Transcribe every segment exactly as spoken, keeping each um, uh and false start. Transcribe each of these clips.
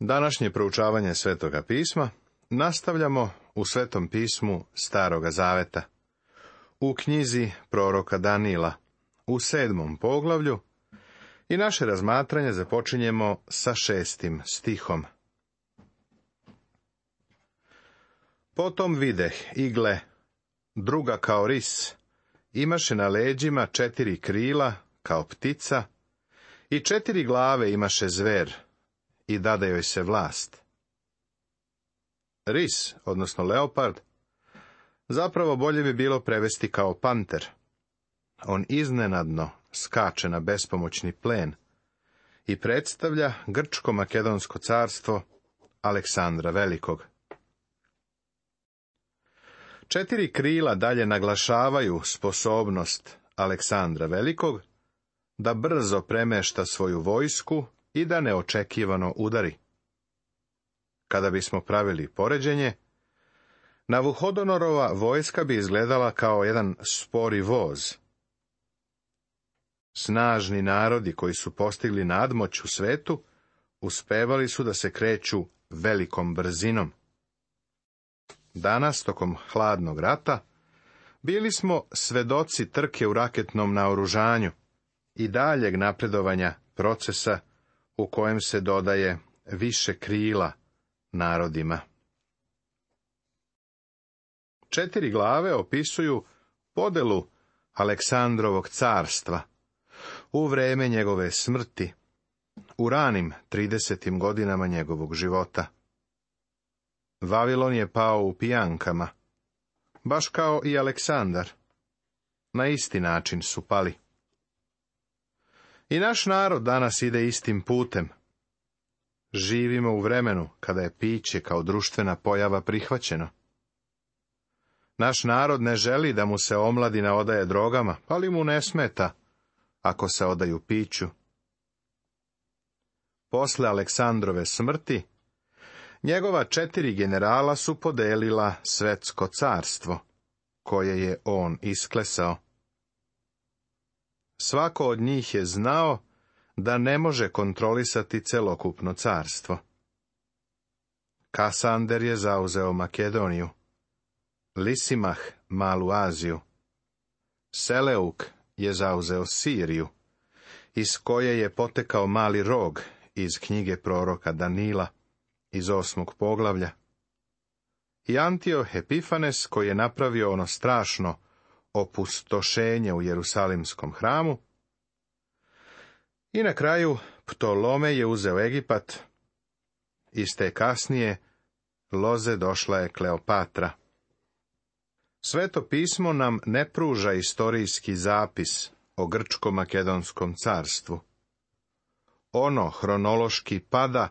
Današnje proučavanje Svetoga pisma nastavljamo u Svetom pismu Staroga Zaveta, u knjizi proroka Danila, u sedmom poglavlju, i naše razmatranje započinjemo sa šestim stihom. Potom videh, i gle, druga kao ris, imaše na leđima četiri krila, kao ptica, i četiri glave imaše zver, i dade joj se vlast. Ris, odnosno leopard, zapravo bolje bi bilo prevesti kao panter. On iznenadno skače na bespomoćni plen i predstavlja grčko-makedonsko carstvo Aleksandra Velikog. Četiri krila dalje naglašavaju sposobnost Aleksandra Velikog da brzo premešta svoju vojsku i da neočekivano udari. Kada bismo pravili poređenje, Navuhodonorova vojska bi izgledala kao jedan spori voz. Snažni narodi koji su postigli nadmoć u svetu, uspevali su da se kreću velikom brzinom. Danas, tokom hladnog rata, bili smo svedoci trke u raketnom naoružanju i daljeg napredovanja procesa u kojem se dodaje više krila narodima. Četiri glave opisuju podelu Aleksandrovog carstva u vreme njegove smrti, u ranim tridesetim godinama njegovog života. Vavilon je pao u pijankama, baš kao i Aleksandar. Na isti način su pali. I naš narod danas ide istim putem. Živimo u vremenu kada je piće kao društvena pojava prihvaćeno. Naš narod ne želi da mu se omladina odaje drogama, ali mu ne smeta ako se odaju piću. Posle Aleksandrove smrti, njegova četiri generala su podelila svetsko carstvo, koje je on isklesao. Svako od njih je znao da ne može kontrolisati celokupno carstvo. Kasander je zauzeo Makedoniju, Lisimah Malu Aziju, Seleuk je zauzeo Siriju, iz koje je potekao mali rog iz knjige proroka Danila, iz osmog poglavlja, i Antioh Epifanes, koji je napravio ono strašno opustošenje u Jerusalimskom hramu, i na kraju Ptolome je uzeo Egipat, iz te kasnije loze došla je Kleopatra. Sveto pismo nam ne pruža istorijski zapis o grčko-makedonskom carstvu. Ono hronološki pada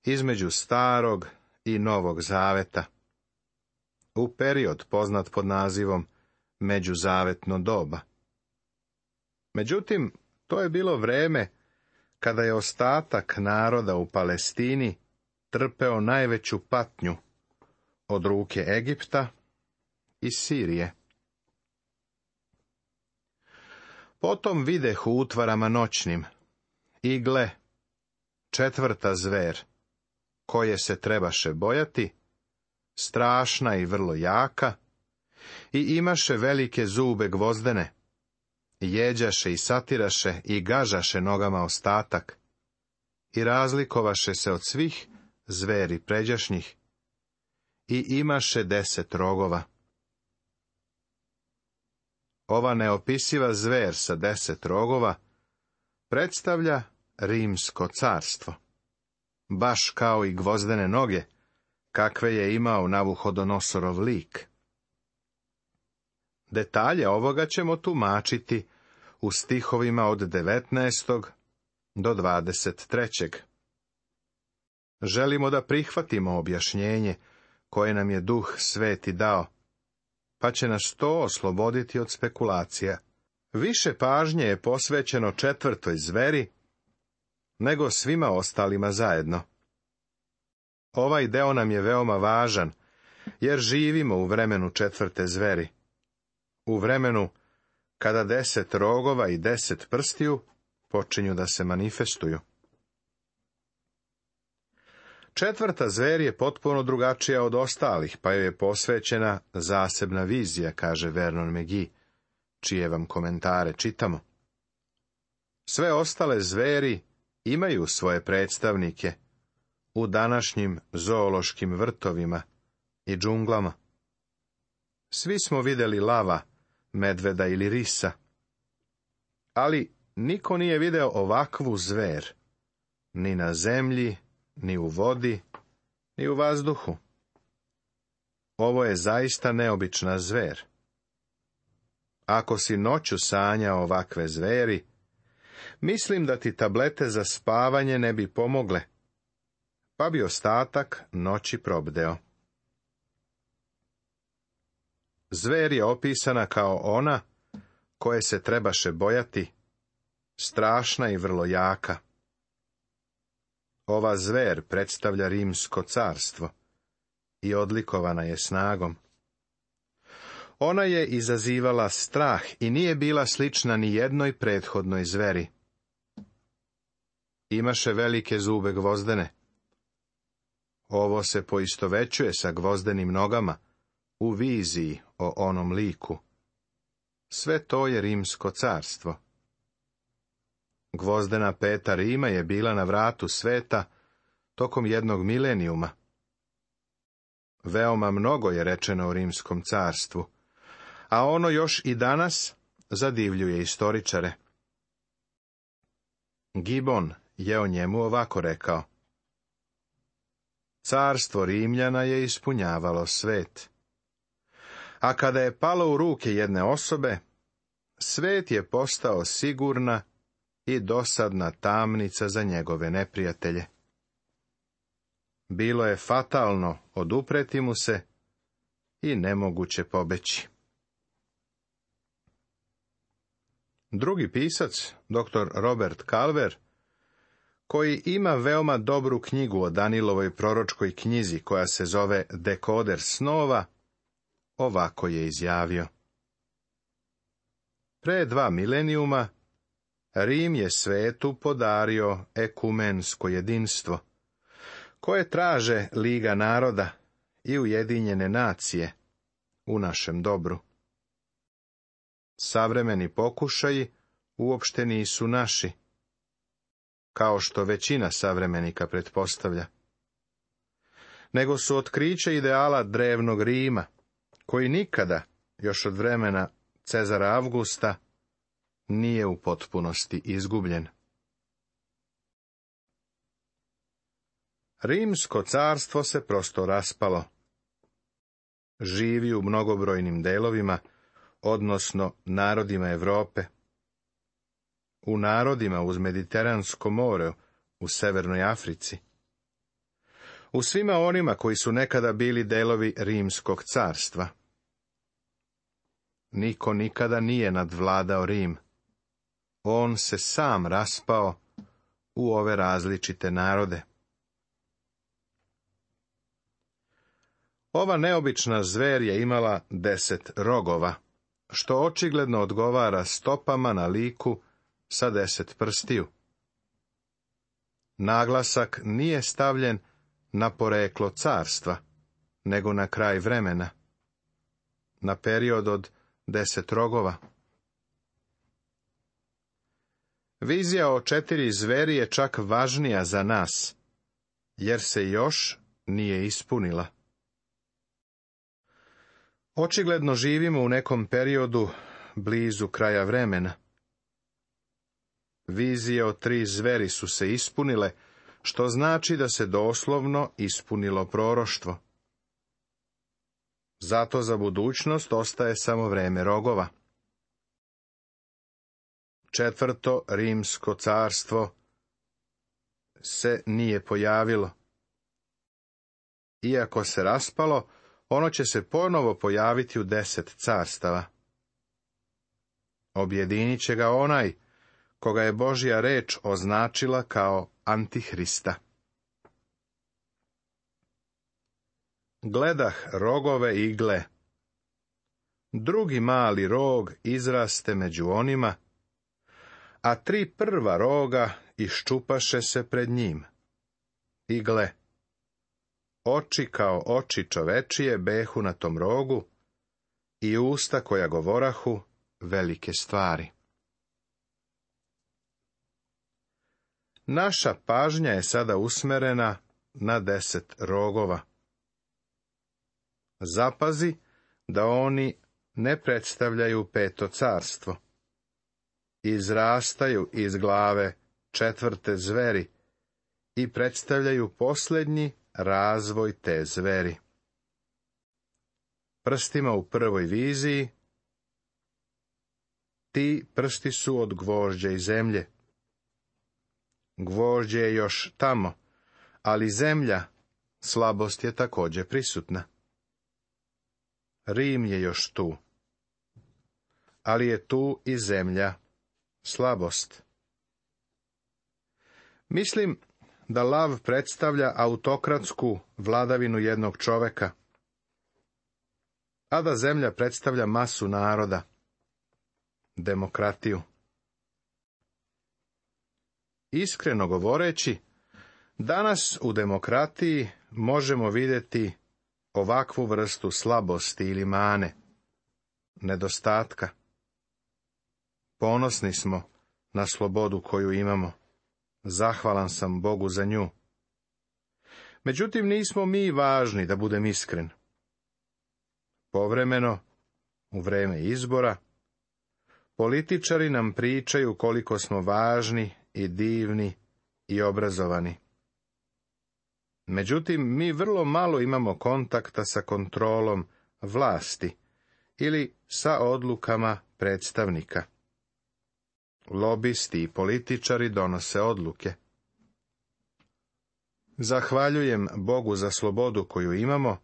između starog i novog zaveta, u period poznat pod nazivom međuzavetno doba. Međutim, to je bilo vreme kada je ostatak naroda u Palestini trpeo najveću patnju od ruke Egipta i Sirije. Potom videh u utvarama noćnim, i gle, četvrta zver, koje se trebaše bojati, strašna i vrlo jaka, i imaše velike zube gvozdene, jeđaše i satiraše i gažaše nogama ostatak, i razlikovaše se od svih zveri pređašnjih, i imaše deset rogova. Ova neopisiva zver sa deset rogova predstavlja Rimsko carstvo, baš kao i gvozdene noge, kakve je imao Navuhodonosorov lik. Detalje ovoga ćemo tumačiti u stihovima od devetnaestog do dvadeset trećeg. Želimo da prihvatimo objašnjenje koje nam je Duh Sveti dao, pa će nas to osloboditi od spekulacija. Više pažnje je posvećeno četvrtoj zveri nego svima ostalima zajedno. Ovaj deo nam je veoma važan, jer živimo u vremenu četvrte zveri, u vremenu kada deset rogova i deset prstiju počinju da se manifestuju. Četvrta zver je potpuno drugačija od ostalih, pa joj je posvećena zasebna vizija, kaže Vernon McGee, čije vam komentare čitamo. Sve ostale zveri imaju svoje predstavnike u današnjim zoološkim vrtovima i džunglama. Svi smo vidjeli lava, medveda ili risa, ali niko nije video ovakvu zver, ni na zemlji, ni u vodi, ni u vazduhu. Ovo je zaista neobična zver. Ako si noću sanjao ovakve zveri, mislim da ti tablete za spavanje ne bi pomogle, pa bi ostatak noći probdeo. Zver je opisana kao ona koje se trebaše bojati, strašna i vrlo jaka. Ova zver predstavlja Rimsko carstvo i odlikovana je snagom. Ona je izazivala strah i nije bila slična ni jednoj prethodnoj zveri. Imaše velike zube gvozdene. Ovo se poistovećuje sa gvozdenim nogama u viziji o onom liku. Sve to je Rimsko carstvo. Gvozdena peta Rima je bila na vratu sveta tokom jednog milenijuma. Veoma mnogo je rečeno o Rimskom carstvu, a ono još i danas zadivljuje istoričare. Gibbon je o njemu ovako rekao: Carstvo Rimljana je ispunjavalo svet, a kada je palo u ruke jedne osobe, svet je postao sigurna i dosadna tamnica za njegove neprijatelje. Bilo je fatalno odupreti mu se i nemoguće pobeći. Drugi pisac, doktor Robert Calver, koji ima veoma dobru knjigu o Danilovoj proročkoj knjizi koja se zove Dekoder snova, ovako je izjavio: Pre dva milenijuma Rim je svetu podario ekumensko jedinstvo, koje traže Liga naroda i Ujedinjene nacije u našem dobru. Savremeni pokušaji uopšte nisu naši, kao što većina savremenika pretpostavlja, nego su otkriće ideala drevnog Rima, koji nikada, još od vremena Cezara Avgusta, nije u potpunosti izgubljen. Rimsko carstvo se prosto raspalo. Živi u mnogobrojnim delovima, odnosno narodima Europe, u narodima uz Mediteransko more, u Severnoj Africi, u svima onima koji su nekada bili delovi Rimskog carstva. Niko nikada nije nadvladao Rim. On se sam raspao u ove različite narode. Ova neobična zver je imala deset rogova, što očigledno odgovara stopama na liku sa deset prstiju. Naglasak nije stavljen na poreklo carstva, nego na kraj vremena, na period od deset rogova. Vizija o četiri zveri je čak važnija za nas, jer se još nije ispunila. Očigledno živimo u nekom periodu blizu kraja vremena. Vizije o tri zveri su se ispunile, što znači da se doslovno ispunilo proroštvo. Zato za budućnost ostaje samo vreme rogova. Četvrto Rimsko carstvo se nije pojavilo. Iako se raspalo, ono će se ponovo pojaviti u deset carstava. Objedinit će ga onaj koga je Božja reč označila kao Antihrista. Gledah rogove igle. Drugi mali rog izraste među onima, a tri prva roga iščupaše se pred njim. I gle, oči kao oči čovečije behu na tom rogu i usta koja govorahu velike stvari. Naša pažnja je sada usmerena na deset rogova. Zapazi da oni ne predstavljaju peto carstvo. Izrastaju iz glave četvrte zveri i predstavljaju posljednji razvoj te zveri. Prstima u prvoj viziji, ti prsti su od gvožđa i zemlje. Gvožđe je još tamo, ali zemlja, slabost je također prisutna. Rim je još tu, ali je tu i zemlja, slabost. Mislim da lav predstavlja autokratsku vladavinu jednog čoveka, a da zemlja predstavlja masu naroda, demokratiju. Iskreno govoreći, danas u demokratiji možemo vidjeti ovakvu vrstu slabosti ili mane, nedostatka. Ponosni smo na slobodu koju imamo. Zahvalan sam Bogu za nju. Međutim, nismo mi važni, da budem iskren. Povremeno, u vreme izbora, političari nam pričaju koliko smo važni i divni i obrazovani. Međutim, mi vrlo malo imamo kontakta sa kontrolom vlasti ili sa odlukama predstavnika. Lobisti i političari donose odluke. Zahvaljujem Bogu za slobodu koju imamo,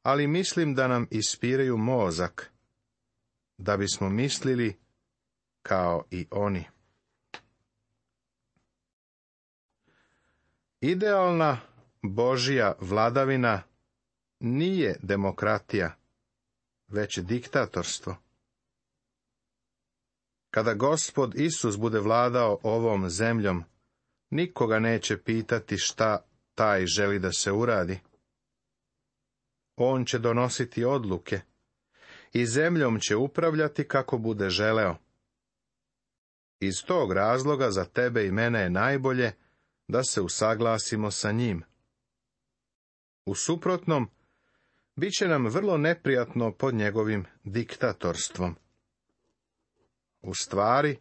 ali mislim da nam ispiraju mozak, da bismo mislili kao i oni. Idealna Božja vladavina nije demokratija, već diktatorstvo. Kada Gospod Isus bude vladao ovom zemljom, nikoga neće pitati šta taj želi da se uradi. On će donositi odluke i zemljom će upravljati kako bude želeo. Iz tog razloga za tebe i mene je najbolje da se usaglasimo sa njim. U suprotnom, bit će nam vrlo neprijatno pod njegovim diktatorstvom. U stvari,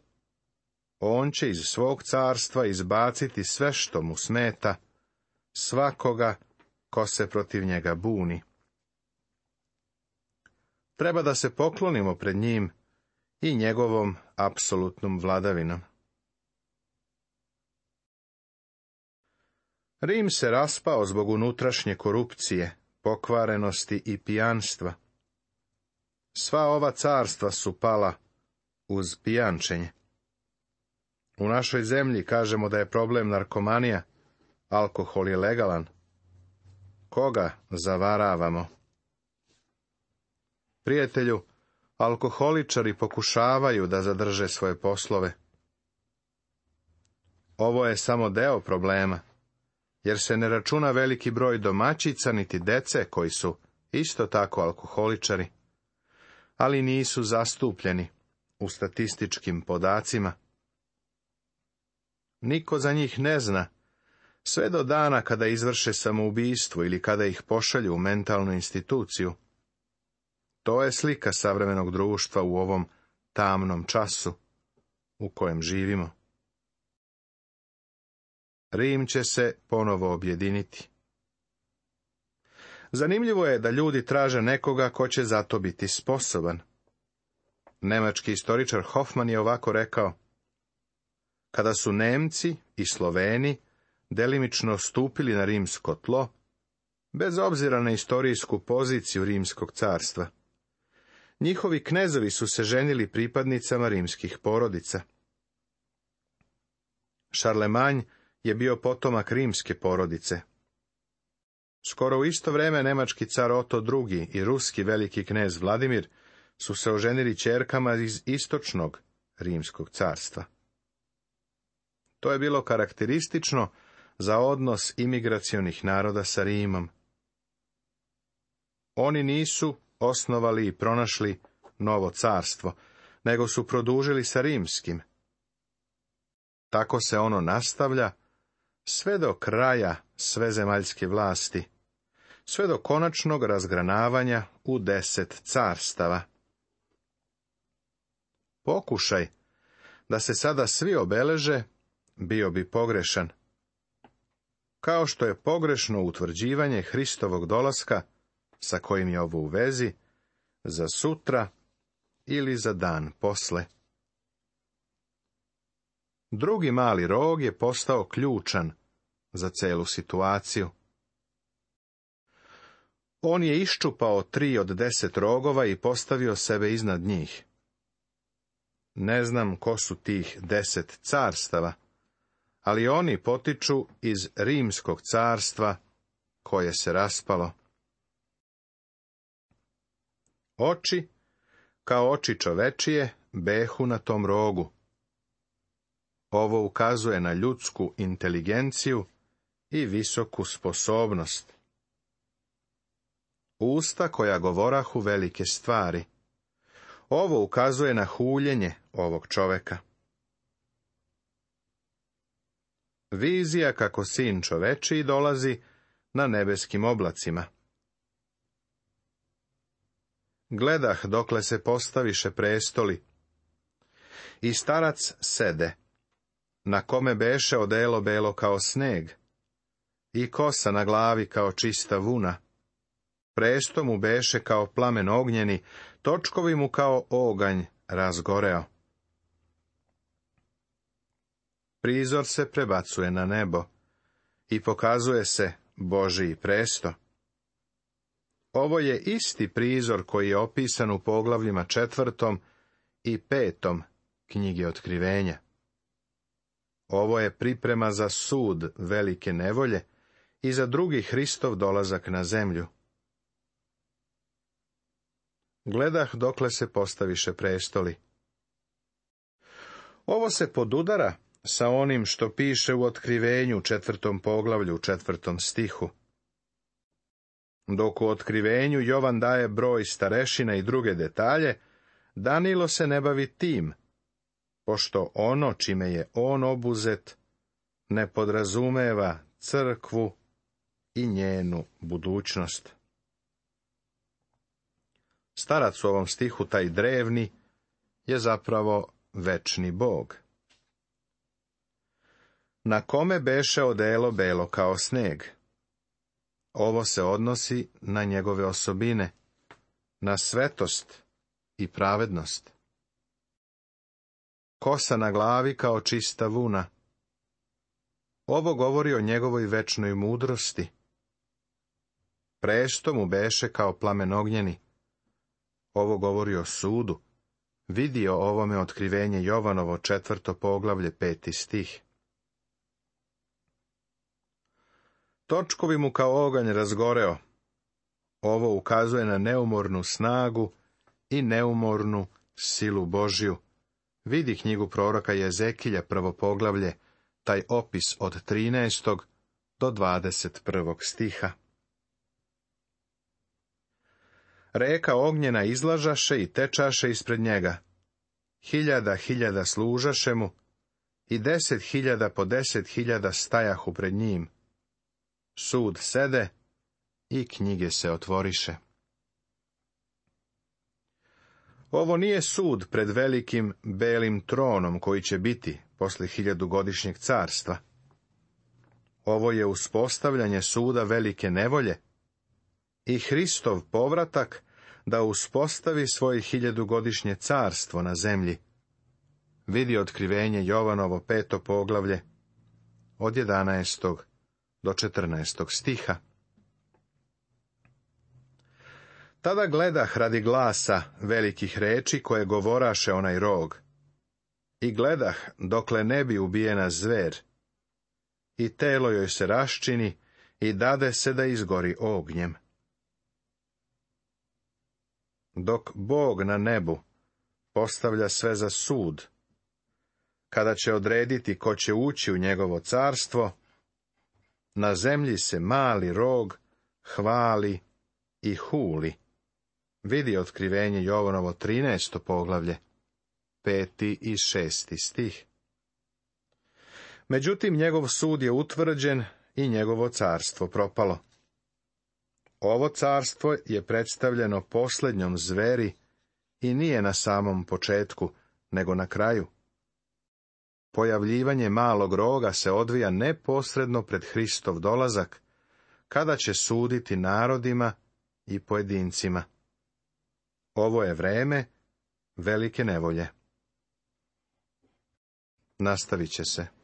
on će iz svog carstva izbaciti sve što mu smeta, svakoga ko se protiv njega buni. Treba da se poklonimo pred njim i njegovom apsolutnom vladavinom. Rim se raspao zbog unutrašnje korupcije, pokvarenosti i pijanstva. Sva ova carstva su pala uz pijančenje. U našoj zemlji kažemo da je problem narkomanija, alkohol je legalan. Koga zavaravamo? Prijatelju, alkoholičari pokušavaju da zadrže svoje poslove. Ovo je samo deo problema, jer se ne računa veliki broj domaćica niti dece koji su isto tako alkoholičari, ali nisu zastupljeni u statističkim podacima. Niko za njih ne zna, sve do dana kada izvrše samoubistvo ili kada ih pošalju u mentalnu instituciju. To je slika savremenog društva u ovom tamnom času u kojem živimo. Rim će se ponovo objediniti. Zanimljivo je da ljudi traže nekoga ko će za to biti sposoban. Nemački istoričar Hoffman je ovako rekao: kada su Nemci i Sloveni delimično stupili na rimsko tlo, bez obzira na istorijsku poziciju rimskog carstva, njihovi knezovi su se ženili pripadnicama rimskih porodica. Šarlemanj je bio potomak rimske porodice. Skoro u isto vrijeme nemački car Oto drugi i ruski veliki knez Vladimir su se oženili ćerkama iz istočnog rimskog carstva. To je bilo karakteristično za odnos imigracionih naroda sa Rimom. Oni nisu osnovali i pronašli novo carstvo, nego su produžili sa rimskim. Tako se ono nastavlja sve do kraja svezemaljske vlasti, sve do konačnog razgranavanja u deset carstava. Pokušaj da se sada svi obeleže bio bi pogrešan, kao što je pogrešno utvrđivanje Hristovog dolaska, sa kojim je ovo u vezi, za sutra ili za dan posle. Drugi mali rog je postao ključan za celu situaciju. On je iščupao tri od deset rogova i postavio sebe iznad njih. Ne znam ko su tih deset carstava, ali oni potiču iz rimskog carstva koje se raspalo. Oči, kao oči čovečije, behu na tom rogu. Ovo ukazuje na ljudsku inteligenciju i visoku sposobnost. Usta koja govorahu velike stvari. Ovo ukazuje na huljenje ovog čoveka. Vizija kako sin čovečiji dolazi na nebeskim oblacima. Gledah dokle se postaviše prestoli. I starac sede, na kome beše odelo belo kao sneg, i kosa na glavi kao čista vuna. Presto mu beše kao plamen ognjeni, točkovi mu kao oganj razgoreo. Prizor se prebacuje na nebo i pokazuje se Božiji presto. Ovo je isti prizor koji je opisan u poglavljima četvrtom i petom knjige Otkrivenja. Ovo je priprema za sud velike nevolje i za drugi Hristov dolazak na zemlju. Gledah dokle se postaviše prestoli. Ovo se podudara sa onim što piše u Otkrivenju četvrtom poglavlju četvrtom stihu. Dok u Otkrivenju Jovan daje broj starešina i druge detalje, Danilo se ne bavi tim, pošto ono čime je on obuzet ne podrazumeva crkvu i njenu budućnost. Starac u ovom stihu, taj drevni, je zapravo večni Bog. Na kome beše odelo belo kao sneg. Ovo se odnosi na njegove osobine, na svetost i pravednost. Kosa na glavi kao čista vuna. Ovo govori o njegovoj večnoj mudrosti. Presto mu beše kao plamen ognjeni. Ovo govori o sudu. Vidi o ovome Otkrivenje Jovanovo četvrto poglavlje peti stih. Točkovi mu kao oganj razgoreo. Ovo ukazuje na neumornu snagu i neumornu silu Božju. Vidi knjigu proroka Jezekilja prvo poglavlje, taj opis od trinaestog do dvadeset prvog stiha. Reka ognjena izlažaše i tečaše ispred njega. Hiljada hiljada služaše mu i deset hiljada po deset hiljada stajahu pred njim. Sud sede i knjige se otvoriše. Ovo nije sud pred velikim belim tronom koji će biti posle hiljadugodišnjeg carstva. Ovo je uspostavljanje suda velike nevolje i Hristov povratak da uspostavi svoje hiljadugodišnje carstvo na zemlji. Vidi Otkrivenje Jovanovo peto poglavlje od jedanaestog do četrnaestog stiha. Tada gledah radi glasa velikih reči koje govoraše onaj rog. I gledah dokle ne bi ubijena zver. I telo joj se raščini i dade se da izgori ognjem. Dok Bog na nebu postavlja sve za sud, kada će odrediti ko će ući u njegovo carstvo, na zemlji se mali rog hvali i huli. Vidi otkrivenje Jovanovo trinaesto poglavlje, peti i šesti stih. Međutim, njegov sud je utvrđen i njegovo carstvo propalo. Ovo carstvo je predstavljeno posljednjom zveri i nije na samom početku, nego na kraju. Pojavljivanje malog roga se odvija neposredno pred Hristov dolazak, kada će suditi narodima i pojedincima. Ovo je vreme velike nevolje. Nastavit će se.